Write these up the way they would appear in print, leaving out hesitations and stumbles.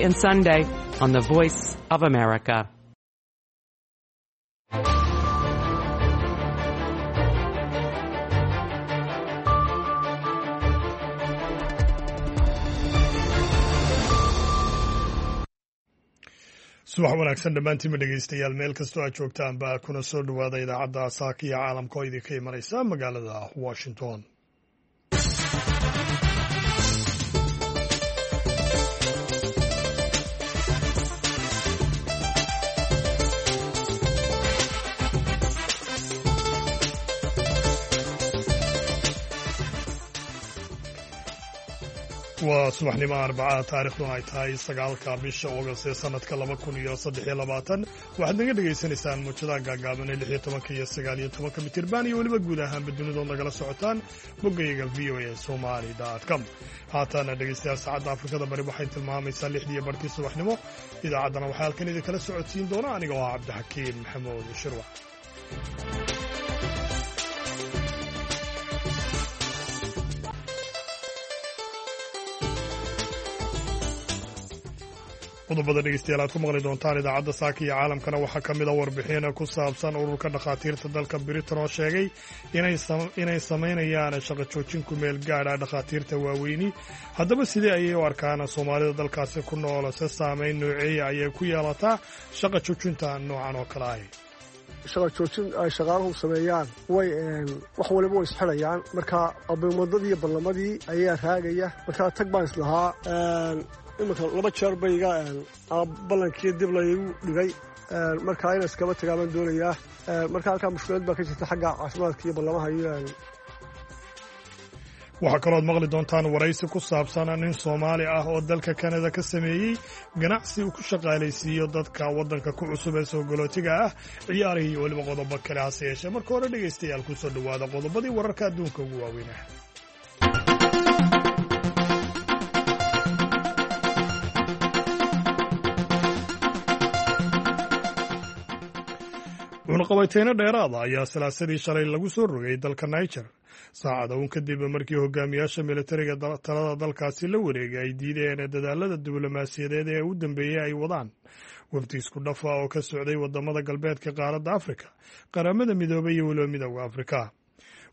and Sunday on the Voice of America. Subax wanaagsan dhammaantiinba dhegeystayaal, meel kastoo aad joogtaan baa kuna soo dhowaada idaacadda saaka iyo caalamka oo idinka imanaysa magaalada Washington. Waa subaxnimo Arbacada, taarikhduna ay tahay 9-ka bisha Oogast ee sanadka 2023. Waxaad naga dhegaysanaysaan muujadaha gaagaaban ee 16-ka iyo 19-ka mitirban iyo weliba guud ahaanba dunidood nagala socotaan boggayaga voasomali com. Haatana dhegeystayaal, saacadda Afrikada Bari waxay tilmaamaysaa 6dii barkii subaxnimo. Idaacaddana waxaa halkan idinkala socodsiin doona aniga oo ah Cabdixakiin Maxamuud Shirwac. Qodobada dhegeystayaal aad ku maqli doontaan idaacadda saaka iyo caalamkana waxaa ka mid a warbixin ku saabsan ururka dhakhaatiirta dalka Britain oo sheegay inay samaynayaan shaqo joojin ku meel gaadha dhakhaatiirta waaweyni. Haddaba sidee ayay u arkaan Soomaalida dalkaasi ku nool? Se saameyn nooceeya ayay ku yeelataa shaqa joojinta noocan oo kale ahi? Shaqa joojin ay shaqaaluhu sameeyaan, way wax waliba way isxidhayaan. Marka abimadadii iyo ballamadii ayaa raagaya. Markaa tag baan islahaa, iminka laba jeer bayga ballankii dib laygu dhigay. Markaa inaan iskaba tagaa baan doonayaa. Marka halkaa mushkilad baa ka jirta xagga caafimaadka iyo ballamaha iyo Waxaa kalooad maqli doontaan waraysi ku saabsan nin Soomaali ah oo dalka Kanada ka sameeyey ganacsi uu ku shaqaalaysiiyo dadka waddanka ku cusub ee soo galootiga ah, ciyaarihii iyo weliba qodobo kale. Hase yeeshee marka hore, dhegaystayaal, ku soo dhowaada qodobadii wararka adduunka ugu waaweynah. Cunaqabayteyno dheeraada ayaa Salaasadii shalay lagu soo rogay dalka Niger, saacada uun kadib markii hogaamiyaasha militariga talada dalkaasi la wareegay ay diideen dadaalada diblomaasiyadeed ee u dambeeyey ay wadaan wafdi isku dhafa oo ka socday wadamada galbeedka qaaradda Afrika, Qaramada Midoobay iyo weliba Midooda Afrika.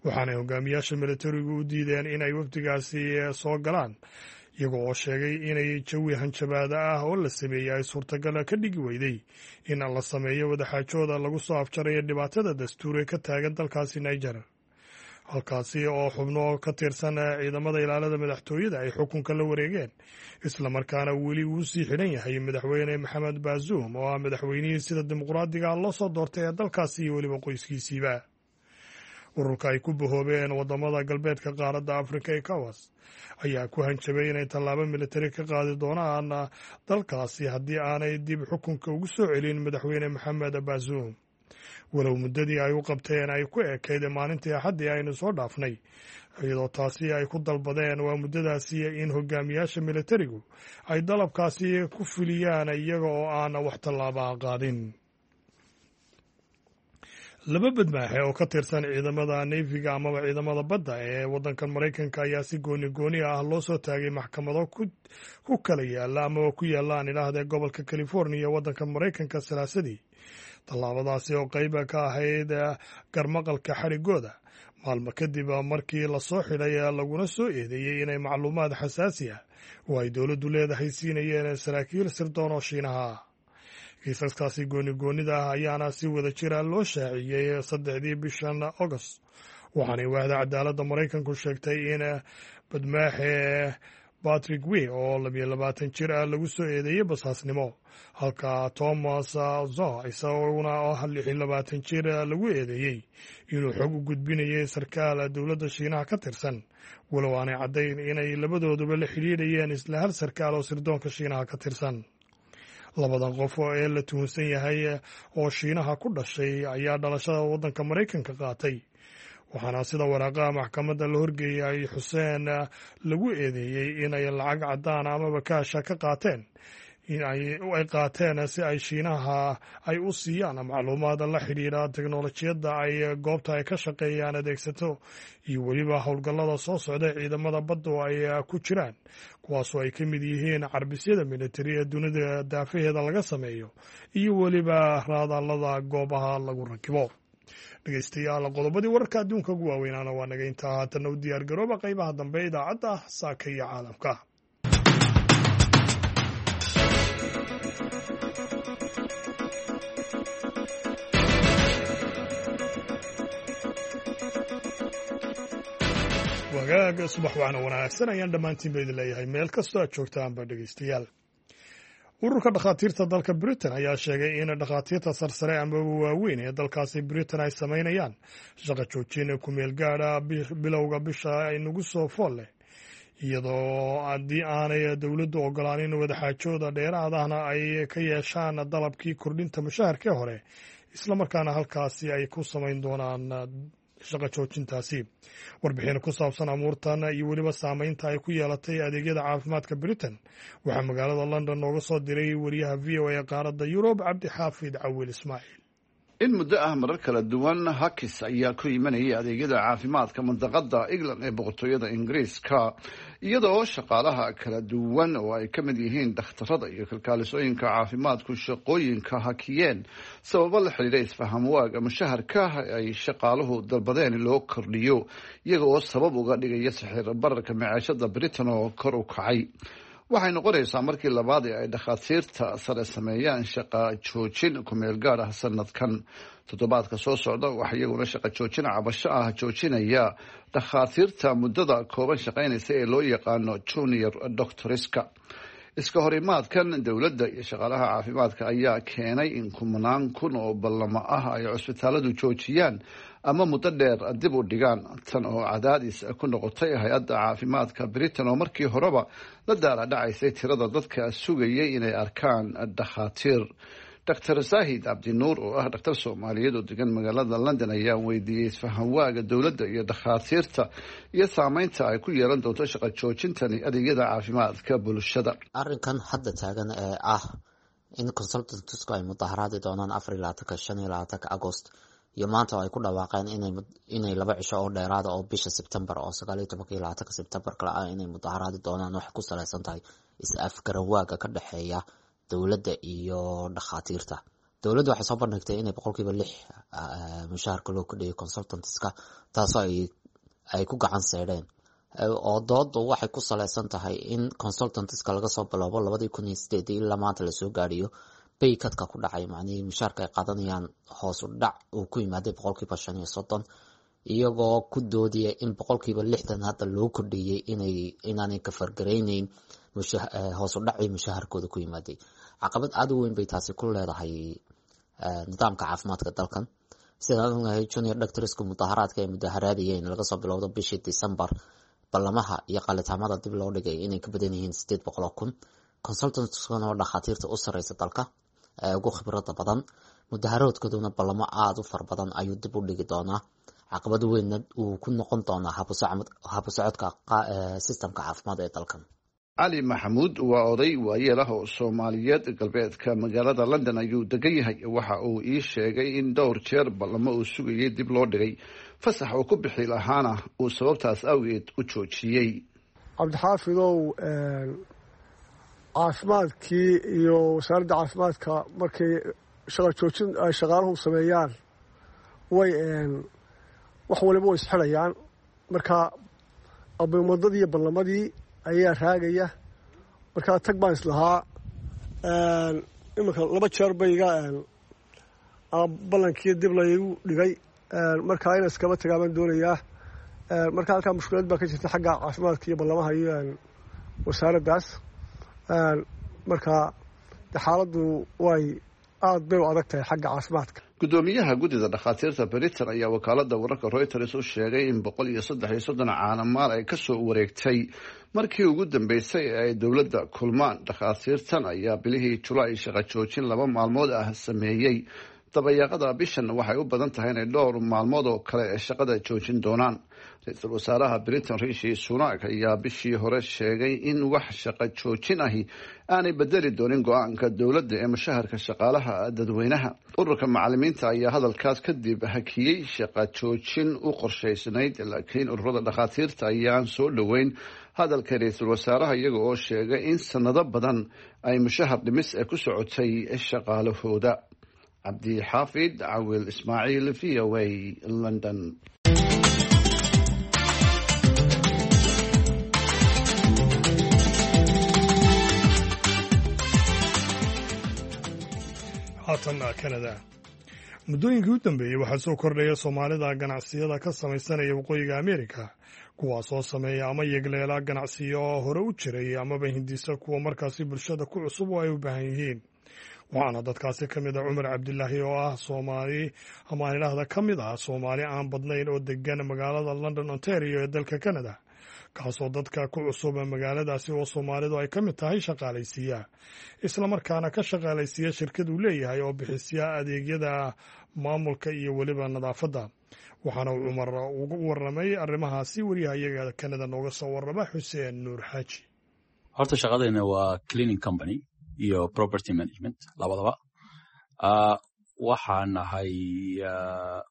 Waxaanay hogaamiyaasha militarigu u diideen inay wafdigaasi soo galaan, iyago oo sheegay inay jawi hanjabaada ah oo la sameeyey ay suurtagal ka dhigi weyday in la sameeyo wadaxaajooda lagu soo afjarayo dhibaatada dastuure ka taagan dalkaasi Niger, halkaasi oo xubno ka tirsan ciidamada ilaalada madaxtooyada ay xukunka la wareegeen, islamarkaana weli uu sii xidhan yahay madaxweyne Maxamed Baasuum oo ah madaxweynihii sida dimuqraadiga loo soo doortay ee dalkaasi iyo weliba qoyskiisiiba. Ururka ay ku bahoobeen wadamada galbeedka qaaradda Afrika, ECOWAS, ayaa ku hanjabay inay tallaabo militari ka qaadi doonaan dalkaasi haddii aanay dib xukunka ugu soo celin madaxweyne Maxamed Baasuum, walow muddadii ay u qabteen ay ku ekayd maalintii Axaddii aynu soo dhaafnay, iyadoo taasi ay ku dalbadeen waa muddadaasi in hogaamiyaasha militarigu ay dalabkaasi ku fuliyaan iyaga oo aan wax tallaabaa qaadin. Laba badmaaxe oo ka tirsan ciidamada navy-ga amaba ciidamada badda ee waddankan Maraykanka ayaa si gooni gooni ah loo soo taagay maxkamado ku kala yaala amaba ku yaalla, aan idhaahdee, gobolka California waddanka Maraykanka Salaasadii, tallaabadaasi oo qayba ka ahayd garmaqalka xadhigooda maalmo kadib markii lasoo xidhay laguna soo eedeeyey inay macluumaad xasaasi ah oo ay dowladdu leedahay siinayeen saraakiil sirdoon oo Shiinaha. Kiisaskaasi gooni goonida ah ayaana si wada jira loo shaaciyey 3-dii bishan Agost, waxaanay waaxda cadaaladda Maraykanku sheegtay in badmaaxe Patrick Wey oo 22 jir ah lagu soo eedeeyey basaasnimo, halka Thomas Zo isaguna oo 26 jir lagu eedeeyey inuu xog u gudbinayay sarkaal dowladda Shiinaha ka tirsan, walow aanay caddayn inay labadooduba la xidhiidhayeen isla hal sarkaal oo sirdoonka Shiinaha ka tirsan. Labadan qof ee la tuhunsan yahay oo Shiinaha ku dhashay ayaa dhalashada waddanka Maraykanka qaatay, waxaana sida waraaqaha maxkamadda la horgeeyay ay xuseen lagu eedeeyey inay lacag caddaan amaba kaasha ka qaateen Ay qaateen si ay Shiinaha ay u siiyaan macluumaad la xidhiidha teknolojiyadda ay goobta ay ka shaqeeyaan adeegsato iyo weliba howlgallada soo socda ciidamada badda oo ay ku jiraan, kuwaasoo ay ka mid yihiin carbisyada militari ee dunida daafaheeda laga sameeyo iyo weliba raadaalada goobaha lagu rakibo. Dhegeystayaal, qodobadii wararka adduunka ugu waaweynaana waa naga intaa. Haatanna u diyaar garooba qaybaha dambe idaacadda Saaka iyo Caalamka. Wagaaga subax waxna wanaagsan ayaan dhammaantiin ba idin leeyahay meel kastoo aad joogtaanba. Dhegeystayaal, ururka dhakhaatiirta dalka Britain ayaa sheegay in dhakhaatiirta sarsare amaba waaweyn ee dalkaasi Britain ay samaynayaan shaqa joojin kumeel gaadha bilowga bisha inagu soo fool leh, iyadoo haddii aanay dowladdu ogolaanin wadaxaajooda dheeraadahna ay ka yeeshaan dalabkii kordhinta mushaharkii hore, islamarkaana halkaasi ay ku samayn doonaan shaqa joojintaasi. Warbixin ku saabsan amuurtan iyo weliba saameynta ay ku yeelatay adeegyada caafimaadka Britain waxaa magaalada London nooga soo diray wariyaha VOA ee qaaradda Yurub, Cabdixaafid Cawil Ismaaciil. In muddo ah marar kala duwan hakis ayaa ku imanayay adeegyada caafimaadka mandaqada England ee Boqortooyada Ingiriiska, iyadoo shaqaalaha kala duwan oo ay ka mid yihiin dhakhtarada iyo kalkaalisooyinka caafimaadku shaqooyinka hakiyeen sababo la xiriira isfaham waaga mushaharka ay shaqaaluhu dalbadeen in loo kordhiyo, iyaga oo sabab uga dhigaya sixir bararka maciishada Britain oo kor u kacay. Waxay noqonaysaa markii labaad ee ay dhakhaatiirta sare sameeyaan shaqa joojin kumeel gaar ah sanadkan. Toddobaadka soo socda waxaa iyaguna shaqa joojin cabasho ah joojinaya dhakhaatiirta muddada kooban shaqaynaysa ee loo yaqaano junior doctoriska. Iska horimaadkan dowladda iyo shaqaalaha caafimaadka ayaa keenay in kumanaan kun oo ballamo ah ay cusbitaaladu joojiyaan ama muddo dheer dib u dhigaan, tan oo cadaadis ku noqotay hay-adda caafimaadka Britain oo markii horeba la daala dhacaysay tirada dadka sugayay inay arkaan dhakhaatiir. Dr Saahid Cabdinuur oo ah dhakhtar Soomaaliyeed oo degan magaalada London ayaa weydiiyey isfahanwaaga dowladda iyo dhakhaatiirta iyo saameynta ay ku yeelan doonto shaqa joojintani adeegyada caafimaadka bulshada. Arrinkan hadda taagan ee ah in consultantsku ay mudaharaadi doonaan 24-ka, 25-ka Agost iyo maanta oo ay ku dhawaaqeen inay 2 cisho oo dheeraada oo bisha Sebtembar oo 19-ka iyo 20-ka Sebtembar kale ah inay mudaharaadi doonaan, waxay ku saleysan tahay is afgaranwaaga ka dhexeeya dowladda iyo dhakhaatiirta. Dowladda waxay soo bandhigtay inay 6% mushaharka loo kordhiyo consultantska, taasoo ay ku gacan seydheen, oo doodu waxay ku saleysan tahay in consultantska laga soo bilowbo 2008-dii ilaa maanta lasoo gaadhiyo pay cut-ka ku dhacay, macnihii mushaharka ay qaadanayaan hoos u dhac uu ku yimaaday 35%, iyagoo ku doodaya in 60% hadda loo kordhiyey inay inaanay ka fargarayneyn hoos u dhacii mushaharkooda ku yimaaday. Caqabad aada u weyn bay taasi ku leedahay nidaamka caafimaadka dalkan. Sidaan ognahay, junior doctorsku mudaharaadka ay mudaharaadayeen laga soo bilowdo bishii December, ballamaha iyo qalitaamada dib loo dhigay inay ka badan yihiin 800,000. Consultantskuna waa dhakhaatiirta u sareysa dalka ee ugu khibrada badan. Mudaharaadkooduna ballamo aada u fara badan ayuu dib u dhigi doonaa, caqabad weynna uu ku noqon doonaa habusocodka systemka caafimaad ee dalkan. Cali Maxamuud waa oday waayeel ah oo Soomaaliyeed, galbeedka magaalada London ayuu degan yahay. Waxa uu ii sheegay in dhowr jeer ballamo uu sugayay dib loo dhigay, fasax uu ku bixi lahaana uu sababtaas awgeed u joojiyey. Cabdixaafidow, caafimaadkii iyo wasaaradda caafimaadka markay shaqa joojin ay shaqaaluhu sameeyaan way wax waliba way isxidhayaan. Marka abimadadii iyo ballamadii ayaa raagaya. Markaa tag baan islahaa, iminka laba jeer bay iga ballankii dib laygu dhigay. Markaa inaan iskaba tagaa baan doonayaa. Marka halkaa mushkilad baa ka jirta xagga caafimaadka iyo ballamaha iyo wasaaraddaas. Marka de xaaladdu way aada bay u adag tahay xagga caafimaadka. Gudoomiyaha guddida dhakhaatiirta Britain ayaa wakaalada wararka Reuters u sheegay in 133 caanamaal ay kasoo wareegtay markii ugu dambeysay ee ay dowladda kulmaan. Dhakhaatiirtan ayaa bilihii Julaay shaqo joojin 2 maalmood ah sameeyey. Dabayaaqada bishan waxay u badan tahay inay dhowr maalmood oo kale ee shaqada joojin doonaan. Ra-iisul wasaaraha Britain Rishi Sunak ayaa bishii hore sheegay in wax shaqo joojin ahi aanay bedeli doonin go-aanka dowladda ee mushaharka shaqaalaha dadweynaha. Ururka macalimiinta ayaa hadalkaas kadib hakiyey shaqo joojin u qorshaysnayd, laakiin ururada dhakhaatiirta ayaan soo dhoweyn hadalka ra-iisul wasaaraha, iyaga oo sheegay in sanado badan ay mushahar dhimis ee ku socotay shaqaalahooda. Cabdixaafid Cawil Ismaaciil, VOA, London. Haatan Canada. Muddooyinkii u dambeeyey waxaa soo kordhaya Soomaalida ganacsiyada ka samaysanaya Waqooyiga Ameerika, kuwaasoo sameeya ama yegleela ganacsiyo oo hore u jiray amaba hindisa kuwa markaasi bulshada ku cusub oo ay u baahan yihiin. Waxaana dadkaasi ka mid ah Cumar Cabdilaahi, oo ah Soomaali, ama aan idhaahda ka mid ah Soomaali aan badnayn oo degan magaalada London, Ontario ee dalka Canada, kaasoo dadka ku cusub magaaladaasi oo Soomaalidu ay ka mid tahay shaqaalaysiiya, islamarkaana ka shaqaalaysiiya shirkad uu leeyahay oo bixisya adeegyada maamulka iyo weliba nadaafadda. Waxaana uu Cumar ugu warramay arrimahaasi wariyaha iyaga Canada nooga soo warrama, Xuseen Nuur Xaaji. Horta shaqadayna waa cleaning company iyo property management labadaba. Waxaan ahay,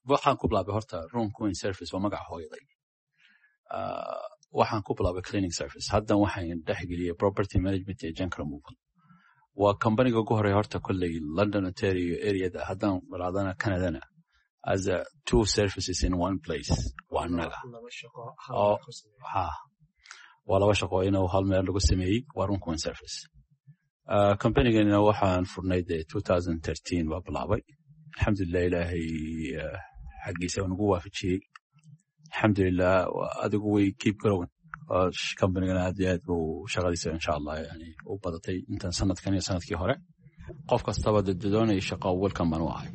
waxaan ku bilaabay horta Room Queen Service, waa magaca hooyaday. Waxaan ku bilaabay cleaning service, haddan waxaan dhexgeliyey property management iyo junk removal. Waa companyga ugu horeya horta kolley London, Ontario areada, haddaan raadana Canadana, as a two services in one place waa annaga. Ha, waa laba shaqo inuu hal meel lagu sameeyey, waa Room Queen Service. Companygana waxaan furnay dee 2013 baa bilaabay. Alxamdulilah, Ilaahay xaggiisa nagu waafajiyey, alxamdulilah. Adigu way keep growing companygana, aad iyo aad buu shaqadiisa insha Allah yani u badatay intan sanadkan iyo sanadkii hore. Qof kastaba doonaya shaqo, welcome baan u ahay.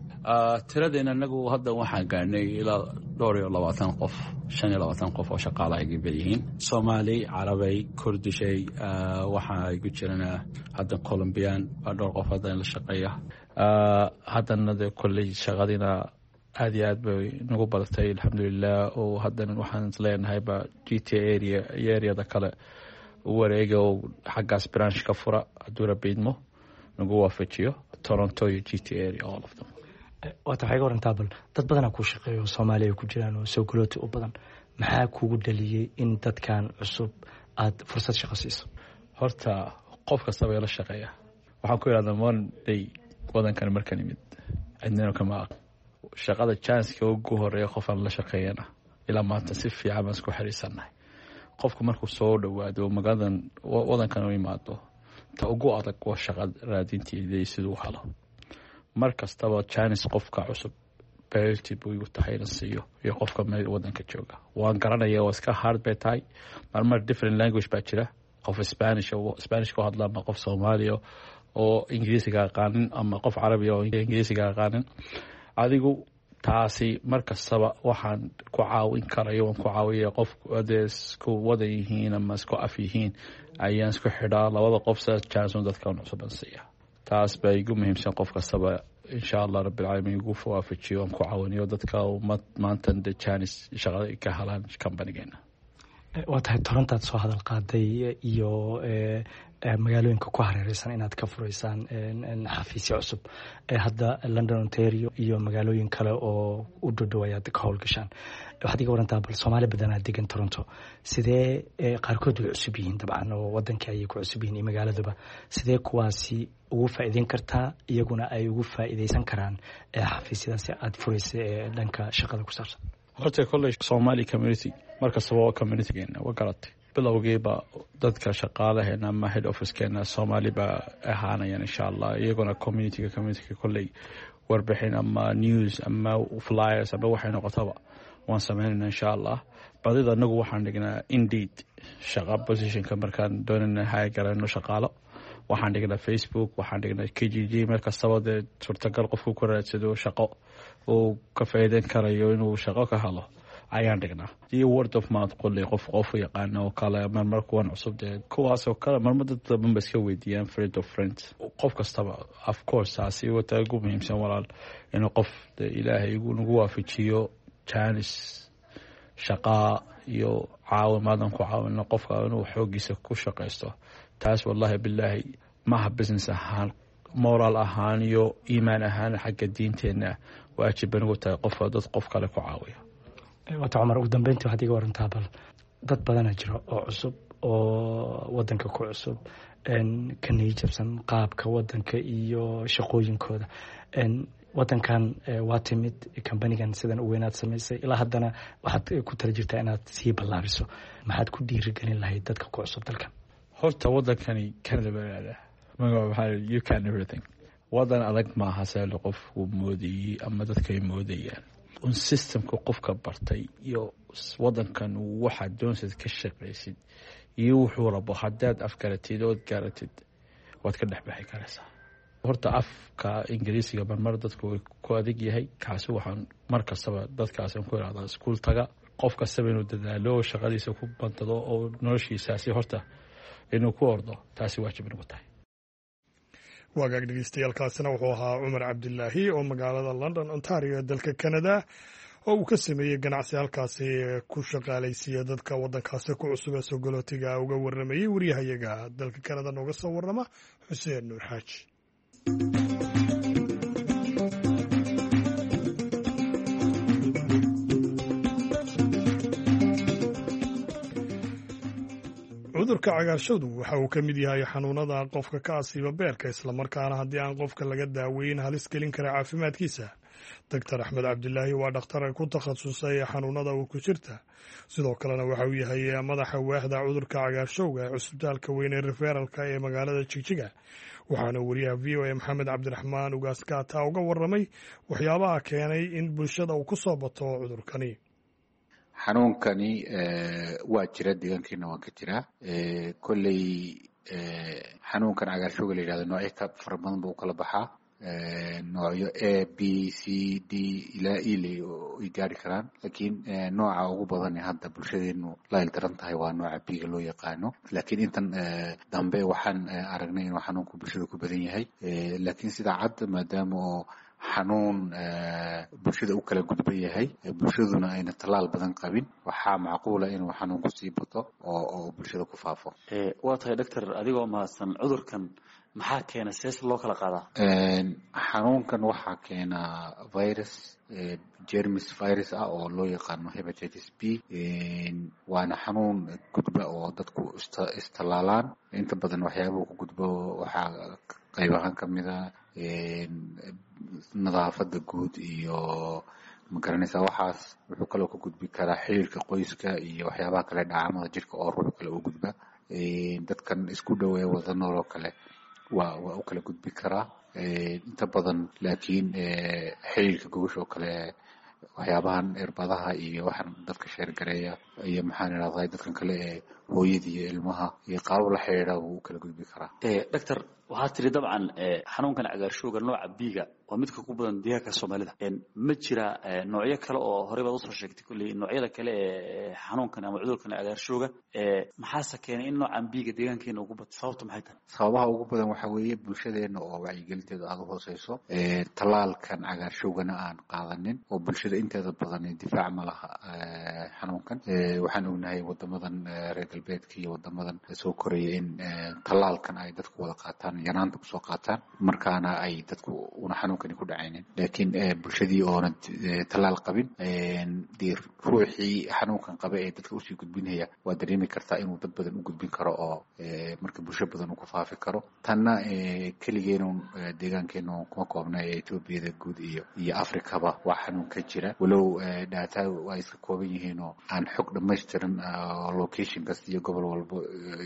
Tiradeena anagu hadda waxaan gaarnay ilaa dhowr iyo labaatan qof, 25 qof oo shaqaala ay yihiin, Soomaali, Carabay, Kurdishay, waxaa igu jirana hadda Colombian baa dhowr qof hadda la shaqeeya. Haddana de kolley shaqadiina aad iyo aad bay nagu badatay, alxamdulilah, oo haddana waxaan isleenahay ba GTA area iyo areada kale u wareega oo xaggaas branch ka fura, hadduu Rabbi idmo nagu waafajiyo, Toronto iyo GTA area, all of them. Waata, waxay ga warantaa bal dad badanaa kuu shaqeeyo oo Soomaaliya ay ku jiraan oo soo galooti u badan. Maxaa kugu dhaliyey in dadkan cusub aad fursad shaqo siiso? Horta qof kastaba ila shaqeeya waxaan ku idhahdaa, one day wadankan markaan imid cidnina kama aq shaqada, chanceka ugu horeeya qofaan la shaqeeyana ilaa maanta si fiican baan isku xiriirsannahay. Qofku markuu soo dhowaado magaaladan, wadankan u imaado, ta ugu adag waa shaqa raadinteeda siduu u helo. Mar kastaba chance qofka cusub priority buu igu tahay inan siiyo iyo qofka meel wadanka jooga. Waan garanaya waa iska hard bay tahay marmar, different language baa jira, qof Spanish Spanish ku hadla ama qof Soomaaliya oo Ingiriisiga aqaanin ama qof Carabiya oo Ingiriisiga aqaanin. Adigu taasi mar kastaba waxaan ku caawin karayo waan ku caawiya. Qof hadee isku wadan yihiin ama isku af yihiin ayaan isku xidhaa labada qof, saas chance dadkan cusuban siiya. Taas baa igu muhiimsan. Qof kastaba insha Allah Rabbilcaalamiin igu waafajiyo, aan ku caawiniyo dadka maanta de chance shaqada ka helaan companygeena. Waa tahay, Torontaad soo hadal qaaday iyo magaalooyinka ku hareereysan inaad ka fureysaan xafiisyo cusub. Hadda London, Ontario iyo magaalooyin kale oo u dhodhow ayaad ka howlgashaan. Waxaad iga warantaa bal Soomaali badanaa degan Toronto, sidee, qaarkood way cusub yihiin dabcan oo wadankii ayay ku cusub yihiin iyo magaaladuba, sidee kuwaasi ugu faa'iideyn kartaa, iyaguna ay ugu faa'iideysan karaan xafiisyadaasi aad fureysa ee dhanka shaqada ku saabsan? Horta kolley Somali community markastaba waa communitygeena, waa garatay. Bilowgiiba dadka shaqaalaheena ama head officekeena Soomaali baa ahaanayaan insha Allah, iyaguna communityga kolley warbixin ama news ama flyers ama waxay noqotaba waan sameynayna insha Allah. Badida anagu waxaan dhignaa Indeed shaqa positionka markaan doonayna hire garayno shaqaalo, waxaan dhignaa Facebook, waxaan dhignaa Kijiji. Meel kastaba dee suurtagal qofku ku raadsado shaqo uu ka faa'iideyn karayo inuu shaqo ka helo. Ayaan dhignaa iyo word of mouth, qolley qof qof yaqaana oo kale, marmar kuwan cusub dee kuwaasoo kale, marmar dad badan ba iska weydiiyaan, friend of friend, qof kastaba. Of course, taasi wata ugu muhiimsan, walaal, inuu qof dee Ilaahay nagu waafajiyo chance shaqaa iyo caawimaadan ku caawino qofka inuu xoogiisa ku shaqaysto. Taas, wallahi bilaahi, maaha business ahaan, moral ahaan iyo iimaan ahaan, xagga diinteenna waajib bay nagu tahay qofka dad qof kale ku caawiya. Waata Cumar, ugu dambeyntii waxaad iga warantaa bal dad badana jiro oo cusub oo wadanka ku cusub, ka niyijabsan qaabka wadanka iyo shaqooyinkooda. Wadankan waa timid, kambanigan sidan u weynaad samaysay, ilaa haddana waxaad ku tala jirtaa inaad sii ballaabiso. Maxaad ku dhiirigelin lahayd dadka ku cusub dalkan? Horta wadankani Canada baa lahahdaa magaca, maxaa, you can everything. Wadan adag maaha seelo qofku moodayey ama dadkay moodayaan. Un systemka qofka bartay iyo wadankan waxaad doonsid ka shaqaysid iyo wuxuu rabo haddaad afgaratid ood garatid, waad ka dhex bixi karaysaa. Horta afka Ingiriisiga marmar dadku way ku adag yahay. Kaasi waxaan mar kastaba dadkaasi ku ihahdaa iskuul taga. Qof kastaba inuu dadaalo, shaqadiisa ku bantado oo noloshiisaasi horta inuu ku ordo, taasi waajib nagu tahay. Waagaag dhegeystayaal, wuxuu ahaa Cumar Cabdilaahi oo magaalada London, Ontario ee dalka Canada oo uu ka sameeyey ganacsi halkaasi ku shaqaalaysiiya dadka waddankaasi ku cusub ee sogolootiga uga warramayey waryahayaga dalka Canada nooga soo warrama, Xuseen Nuur Xaaji. Cudurka cagaarshadu waxa uu ka mid yahay xanuunada qofka ka asiiba beerka, islamarkaana haddii aan qofka laga daaweyn halis gelin kara caafimaadkiisa. Doctor Axmed Cabdilaahi waa dhakhtar ku takhasusay xanuunada uurku jirta, sidoo kalena waxa uu yahay madaxa waaxda cudurka cagaarshowga ee cusbitaalka weyn ee referalka ee magaalada Jigjiga. Waxaana wariyaha VOA Maxamed Cabdiraxmaan Ugaas Gaata uga waramay waxyaabaha keenay in bulshada uu ku soo bato cudurkani. Xanuunkani waa jira, deegaankeena waan ka jiraa. Kolley xanuunkan cagaarshowga la yidhahdo noocyo ka fara badan buu ukala baxaa, noocyo A, B, C, D ilaa E ay gaari karaan, laakiin nooca ugu badan ee hadda bulshadeenu la ildaran tahay waa nooca B-ga loo yaqaano. Laakiin intan dambe waxaan aragnay inuu xanuunku bulshada ku badan yahay, laakiin sida cad, maadaama oo xanuun bulshada u kala gudban yahay, bulshaduna ayna tallaal badan qabin, waxaa macquula inuu xanuunku sii bato oo bulshada ku faafo. Waa tahay doctor, adigoo mahadsan, cudurkan maxaa keena, sees loo kala qaadaa? Xanuunkan waxaa keena virus, germis virus ah oo loo yaqaano hepatitis B, waana xanuun gudba oo dadku istallaalaan. Inta badan waxyaabuhu ku gudbo waxaa qayb ahaan kamid a nadaafada guud iyo, ma garanaysaa, waxaas. Wuxuu kaloo ka gudbi karaa xiriirka qoyska iyo waxyaabaha kale, dhacaamada jirka oo ruux kale u gudba. Dadkan isku dhow ee wada nool oo kale waa u kala gudbi karaa inta badan, laakiin xiriirka gogosha oo kale, waxyaabahan irbadaha iyo waxaan dadka sheergareeya iyo, maxaan idhahday, dadkan kale ee hooyada iyo ilmaha iyo qaabab la xiriira wuu u kala gudbi karaa. Doctor, waxaa tiri dabcan xanuunkan cagaarshowga nooca B-ga waa midka ku badan deegaanka Soomaalida. Ma jira noocyo kale oo horey baad usoo sheegtay kolley noocyada kale ee xanuunkan ama cudurkan cagaarshowga? Maxaase keenay in noocan B-ga deegaankeena ugu bato? Sababta maxay tahay? Sababaha ugu badan waxaa weeye bulshadeena oo wacyigelinteedu aada u hooseyso, tallaalkan cagaarshowgana aan qaadanin, oo bulshada inteeda badan difaac ma laha xanuunkan. Waxaan ognahay wadamadan reer galbeedka iyo wadamadan soo koraya in tallaalkan ay dadku wada qaataan, yaraanta kusoo qaataan, markaana ay dadku una xanuunkani ku dhacaynin. Laakiin bulshadii oona tallaal qabin, dee ruuxii xanuunkan qaba ee dadka usii gudbinaya waa dareemi kartaa inuu dad badan u gudbin karo oo marka bulsho badan uu ku faafi karo. Tanna keligeenu deegaankeenu kuma koobna ee Etoobiyada guud iyo Afrikaba waa xanuun ka jira, walow data ay iska kooban yihiin oo aan xog dhammaystiran location kasta iyo gobol walbo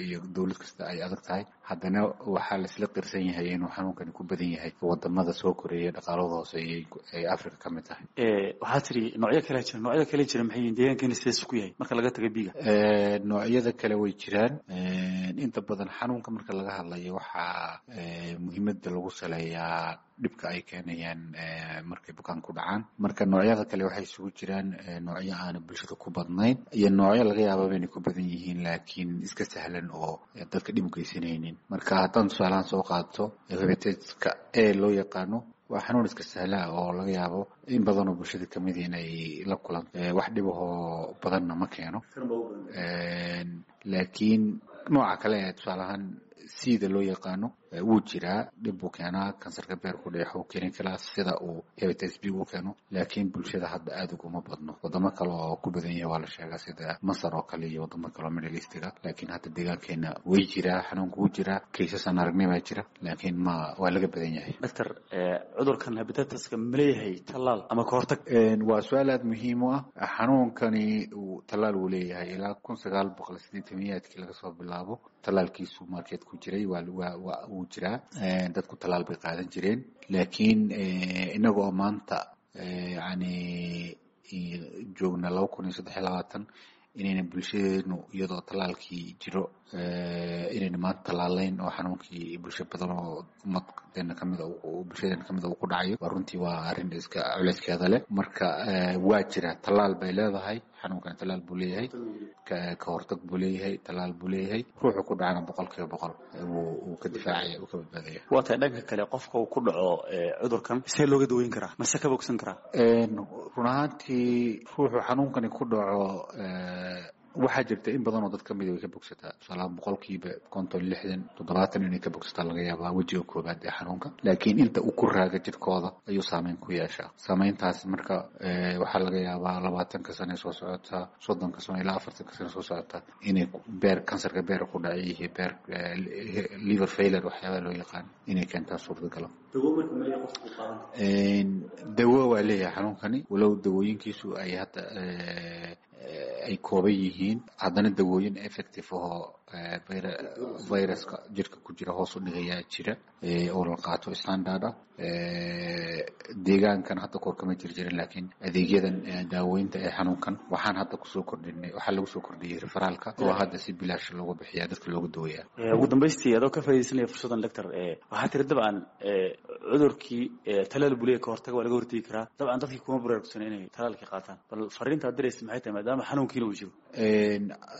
iyo dowlad kasta ay adag tahay. Haddana waxaa laisla qirsan yahay inuu xanuunkani ku badan yahay wadamada soo koreeya, dhaqaalada hooseeya ay Africa ka mid tahay. Waxaa tiri noocyo kale jira. Noocyada kale jira maxay yihiin? Deegaankeena sidees ku yahay marka laga taga B-ga? Noocyada kale way jiraan. Inta badan xanuunka marka laga hadlayo waxaa muhiimada lagu saleeyaa dhibka ay keenayaan markay bukaan ku dhacaan. Marka noocyada kale waxay isugu jiraan noocyo aana bulshada ku badnayn iyo noocyo laga yaababa inay ku badan yihiin laakiin iska sahlan oo dadka dhib u geysanaynin. Marka haddaan tusaalahaan soo qaato hepatitis-ka A loo yaqaano, waa xanuun iska sahlaa oo laga yaabo in badan oo bulshada kamid inay la kulanto, wax dhibahoo badanna ma keeno. Laakiin nooca kale ee tusaalahaan sida loo yaqaano wuu jiraa, dhib buu keenaa, kansarka beerku dheex uu keeni karaa sida uu hepatitis B u keeno, laakiin bulshada hadda aada uguma badno. Wadamo kale oo ku badan yahay waa la sheegaa, sida Masar oo kale iyo wadamo kale oo Middle Eastiga, laakiin hadda deegaankeena way jiraa, xanuunku wuu jiraa, kaysas aan aragnay baa jira, laakiin ma waa laga badan yahay. Doctor, cudurkan hepatitiska ma leeyahay tallaal ama ka hortag? Waa su-aal aada muhiim u ah. Xanuunkani tallaal wuu leeyahay. Ilaa 1980-aadkii laga soo bilaabo tallaalkiisu market ku jiray, waa wuu jiraa, dadku tallaal bay qaadan jireen. Laakiin inaga oo maanta yani joogna 2023, inayna bulshadeenu iyadoo tallaalkii jiro inayna maanta tallaalayn oo xanuunkii bulsho badan oo ummadeena kamida, bulshadeena kamida uu ku dhacayo, waa runtii waa arrin iska culeyskeeda leh. Marka waa jira, tallaal bay leedahay xanuunkani, tallaal buu leeyahay, ka hortag buu leeyahay, tallaal buu leeyahay. Ruuxu ku dhacana 100% wuu ka difaacaya, wuu ka badbaadaya. Waa tahay. Dhanka kale, qofka uu ku dhaco cudurkan see looga daweyn karaa mase ka bogsan karaa? Run ahaantii ruuxu xanuunkani ku dhaco waxaa jirta in badan oo dad kamida way ka bogsataa. Tusaalahaan 50%, 60, 70 inay ka bogsataa laga yaabaa wejiga koobaad ee xanuunka, laakiin inta uu ku raaga jirkooda ayuu saameyn ku yeeshaa. Saameyntaas marka waxaa laga yaabaa 20-ka sane soo socota, 30-ka sano ilaa 40-ka sane soo socota inay beer, kansarka beer ku dhacay iyo beer liver failure waxyaabaha loo yaqaan inay keentaa suurtagalo. Dawo waa leeyahay xanuunkani, walow dawooyinkiisu ay hadda ay kooban yihiin, haddana dawooyin effective ahoo viruska jirka ku jira hoos u dhigayaa jira oo la qaato standard ah. Deegaankan hadda koor kama jiri jirin, laakiin adeegyadan daaweynta ee xanuunkan waxaan hadda kusoo kordhinay, waxaa lagu soo kordhiyey referaalka oo hadda si bilaash loogu bixiyaa dadka looga daweeyaa. Ugu dambaystii, adoo ka faaidaysanaya fursaddan doctor, waxaa tiri dabcan cudurkii talaal buu leeyahay, ka hortaga waa laga hortegi karaa. Dabcan dadkii kuma baraarugsan inay talaalkii qaataan. Bal fariinta aad diraysa maxay tahay maadaama xanuunkiina uu jiro?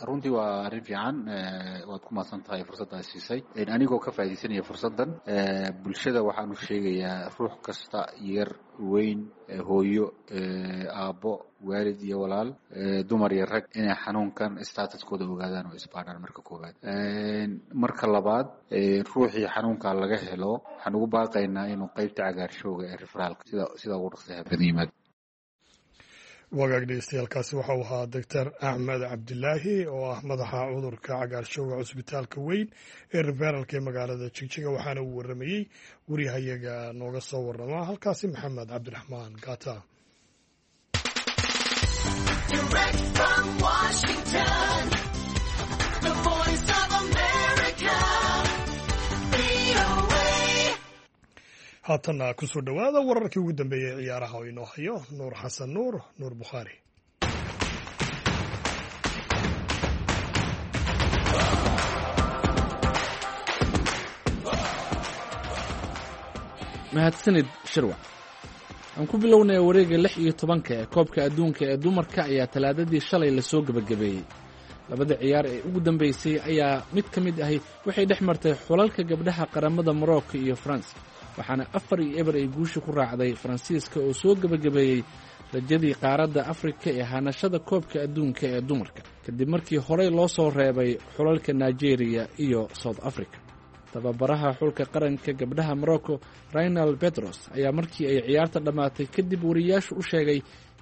Runtii waa arrin fiican, waad ku mahadsan tahay fursadda aad siisay. Anigoo ka faaidaysanaya fursaddan, bulshada waxaanu sheegayaa ruux kasta, yar, weyn, hooyo, aabbo, waalid iyo walaal, dumar iyo rag, inay xanuunkan statuskooda ogaadaan oo isbaadhaan marka koowaad. Marka labaad, ruuxii xanuunka laga helo waxaan ugu baaqaynaa inuu qeybta cagaarshowga ee referaalka sida ugu dhaqsaha badan yimaado. Wagaag dhegeystayaaalkaasi waxau ahaa Doctor Axmed Cabdilaahi oo ah madaxa cudurka cagaarshowga cusbitaalka weyn ee referalka ee magaalada Jigjiga, waxaana uu waramayey wariyahayaga nooga soo warama halkaasi, Maxamed Cabdiraxmaan Gata. Haatanna kusoo dhowaada wararkii ugu dambeeyey ee ciyaaraha oo inoo hayo Nuur Xasan Nuur, Nuur Bukhaari. Mahadsanid Shirwac. Aan ku bilownay wareegga 16-ka ee koobka adduunka ee dumarka ayaa talaadadii shalay lasoo gebagabeeyey. Labada ciyaar ee ugu dambaysay ayaa mid ka mid ahi waxay dhex martay xulalka gabdhaha qaramada Morocco iyo Faransa, waxaana 4-0 ay guusha ku raacday Faransiiska oo soo gebagabeeyey rajadii qaaradda Afrika ee hanashada koobka adduunka ee dumarka, kadib markii horey loo soo reebay xulalka Nigeria iyo South Africa. Tababaraha xulka qaranka gabdhaha Morocco, Raynal Bedros, ayaa markii ay ciyaarta dhammaatay kadib wariyaashu u sheegay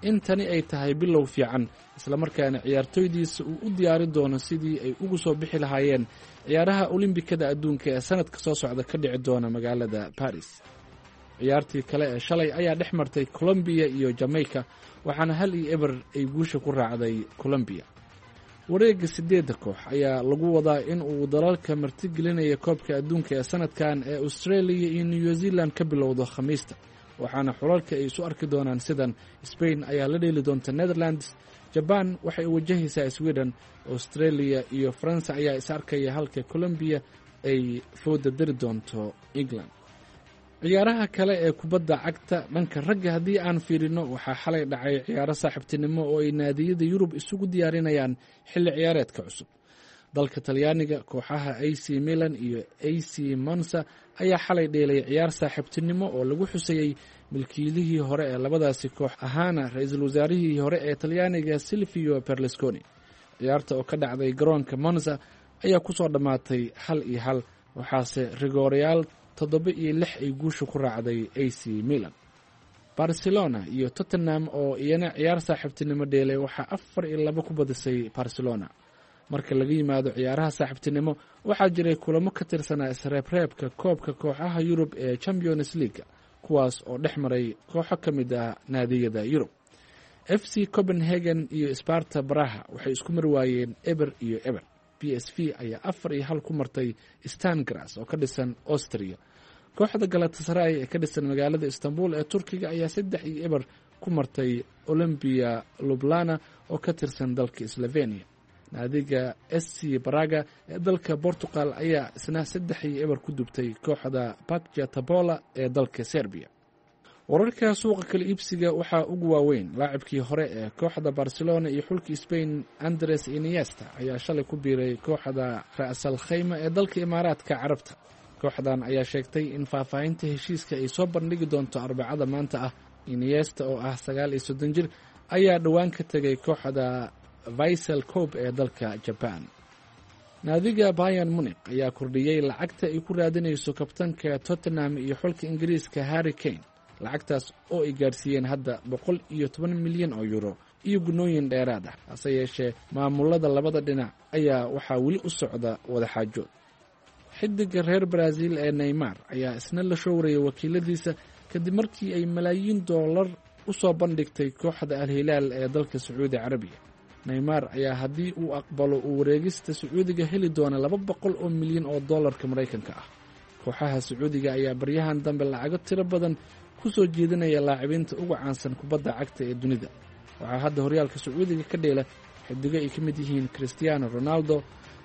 in tani ay tahay bilow fiican, islamarkaana ciyaartoydiisa uu u diyaari doono sidii ay ugu soo bixi lahaayeen ciyaaraha olimbikada adduunka ee sanadka soo socda ka dhici doona magaalada Baris. Ciyaartii kale ee shalay ayaa dhex martay Colombiya iyo Jamaica, waxaana 1-0 ay guusha ku raacday Colombiya. Wareegga sideedda koox ayaa lagu wadaa in uu dalalka martigelinaya koobka adduunka ee sanadkan ee Australia iyo New Zealand ka bilowdo Khamiista, waxaana xulalka ay isu arki doonaan sidan: Spain ayaa la dheeli doonta Netherlands, Jaban waxay wajahaysaa Sweden, Australia iyo Faransa ayaa is arkaya, halka Colombiya ay fooda dari doonto England. Ciyaaraha kale ee kubadda cagta dhanka ragga haddii aan fiirino, waxaa xalay dhacay ciyaaro saaxiibtinimo oo ay naadiyada Yurub isugu diyaarinayaan xilli ciyaareedka cusub. Dalka Talyaaniga, kooxaha AC Milan iyo AC Monza ayaa xalay dheelay ciyaar saaxiibtinimo oo lagu xusayey milkiilihii hore ee labadaasi koox, ahaana ra-iisul wasaarihii hore ee Talyaaniga Silvio Berlusconi. Ciyaarta oo ka dhacday garoonka Monza ayaa kusoo dhammaatay 1-1, waxaase rigoorayaal 7-6 ay guusha ku raacday AC Milan. Barcelona iyo Tottenham oo iyana ciyaar saaxiibtinimo dheelay waxaa 4-2 ku badisay Barcelona. Marka laga yimaado ciyaaraha saaxiibtinimo, waxaa jiray kulamo ka tirsanaa isreebreebka koobka kooxaha Yurub ee Champions League, kuwaas oo dhex maray kooxo ka mid ah naadiyada Yurub. FC Copenhagen iyo Sparta Baraha waxay isku mari waayeen 0-0. PSV ayaa 4-1 ku martay Stangras oo ka dhisan Austria. Kooxda Galatasaray ee ka dhisan magaalada Istanbul ee Turkiga ayaa 3-0 ku martay Olympia Lublana oo ka tirsan dalka Slovenia. Naadiga SC Braga ee dalka Portugal ayaa isna 3-0 ku dubtay kooxda Bakja Tabola ee dalka Serbia. Wararka suuqa kala iibsiga waxaa ugu waaweyn laacibkii hore ee kooxda Barcelona iyo xulka Spain Andres Iniesta ayaa shalay ku biiray kooxda Ra'sal Khayma ee dalka Imaaraadka Carabta. Kooxdan ayaa sheegtay in faahfaahinta heshiiska ay soo bandhigi doonto Arbacada maanta ah. Iniesta oo ah 39 jir ayaa dhowaan ka tegay kooxda Visel Cope ee dalka Jaban. Naadiga Bayan Munik ayaa kordhiyey lacagta ay ku raadinayso kabtanka Tottenham iyo xulka Ingiriiska Harry Kane, lacagtaas oo ay gaarsiiyeen hadda 110 milyan oo euro iyo gunooyin dheeraad ah. Hase yeeshee, maamulada labada dhinac ayaa waxaa weli u socda wadaxaajood. Xidiga reer Brazil ee Neymar ayaa isna la showrayay wakiiladiisa kadib markii ay malaayiin doolar u soo bandhigtay kooxda Al-Hilaal ee dalka Sacuudi Carabiya. Neymar ayaa haddii uu aqbalo uu wareegista Sacuudiga heli doona 200 oo milyan oo dollarka Maraykanka ah. Kooxaha Sacuudiga ayaa baryahan dambe lacago tiro badan ku soo jeedinaya laacibiinta ugu caansan kubadda cagta ee dunida. Waxaa hadda horyaalka Sacuudiga ka dheela xidigo ay ka mid yihiin Cristiano Ronaldo,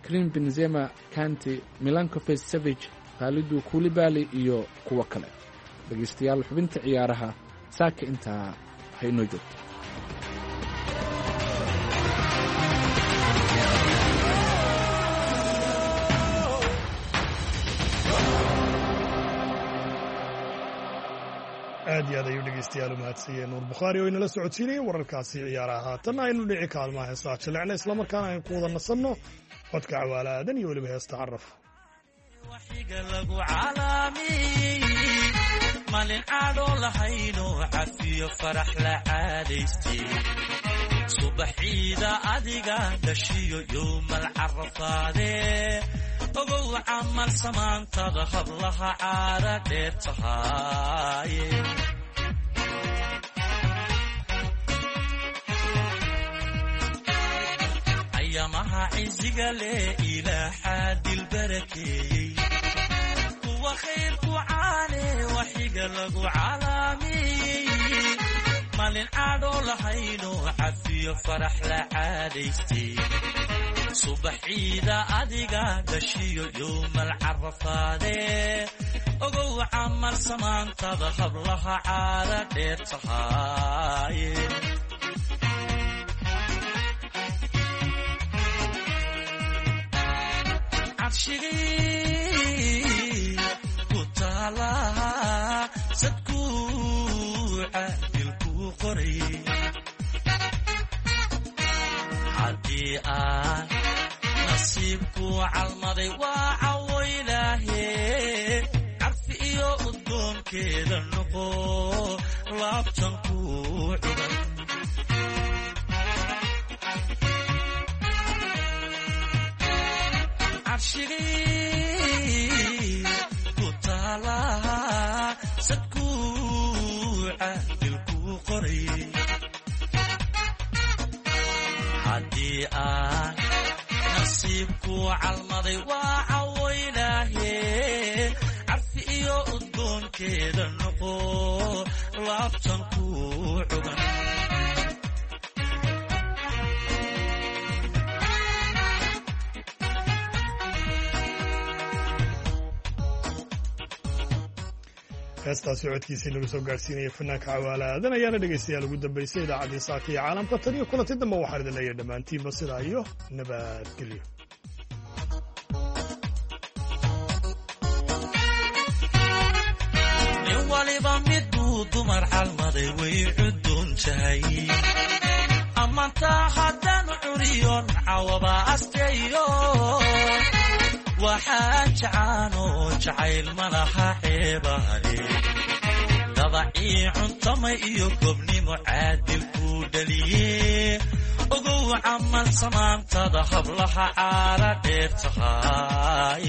Krim Benzema, Kanti, Milankovic Savage, Khalidu Kulibali iyo kuwo kale. Dhegeystayaal, xubinta ciyaaraha saaka intaa ha inoo joogto. Aad iyo aad ayuu dhegeystayaal u mahadsanyahay Nuur Bukhaari oo inala socodsiinayay wararkaasi ciyaaraha. Haatanna aynu dhici kaalmaha heesaha jilecna, islamarkaana aynu ku wada nasanno codka Cawaala Aadan iyo weliba heesta Caraf. Waxiga lagu calaamiyey malin cadho lahayno cafiyo farax la caadaystay, subaxiida adiga dhashiyo yowmal carafaadee, ogow camal samaantada hablaha caara dheer tahaaye. Ayamaha ciziga leh ilaaxaa dilbarakeeyey, kuwa khayrku caane waxiga lagu calaamiyey malin cadho lahayno cafiyo farax la caadaystay, subaxiida adiga dhashiyo yowmal carafaadee, ogow camal samaantada hablaha caara dheer tahaaye. Cabshigii ku taalaha sadkuu caadilkuu qoray, haddii aan nasiibku calmaday waa cawoylaahe, carfi iyo udgoonkeeda noqo laabtan ku cugan. Cabshigii ku taalaha sadkuu caadilkuu qoray, haddii aan nasiibku calmaday waa cawoylaahe, carfi iyo udgoonkeeda noqo laabtan ku cugan. Heestaasi codkiisii lagu soo gaarsiinaya fanaanka Cawaala Aadan ayaana dhegaystayaal ugu dambaysay idaacaddii saaka iyo caalamka. Tan iyo kulanti dambe waxaan idin leeyahay dhammaantiinba sidaa iyo nabadgelyo. Nin waliba miduu dumar calmaday way cudun tahay, amantaa haddaan curiyon cawaba asteeyo. Waxaa jacaanoo jacayl malaha ceebaale, dabacii cuntamay iyo gobnimo caadil kuu dhaliye. Ogow camal samaantada hablaha caara dheer tahay.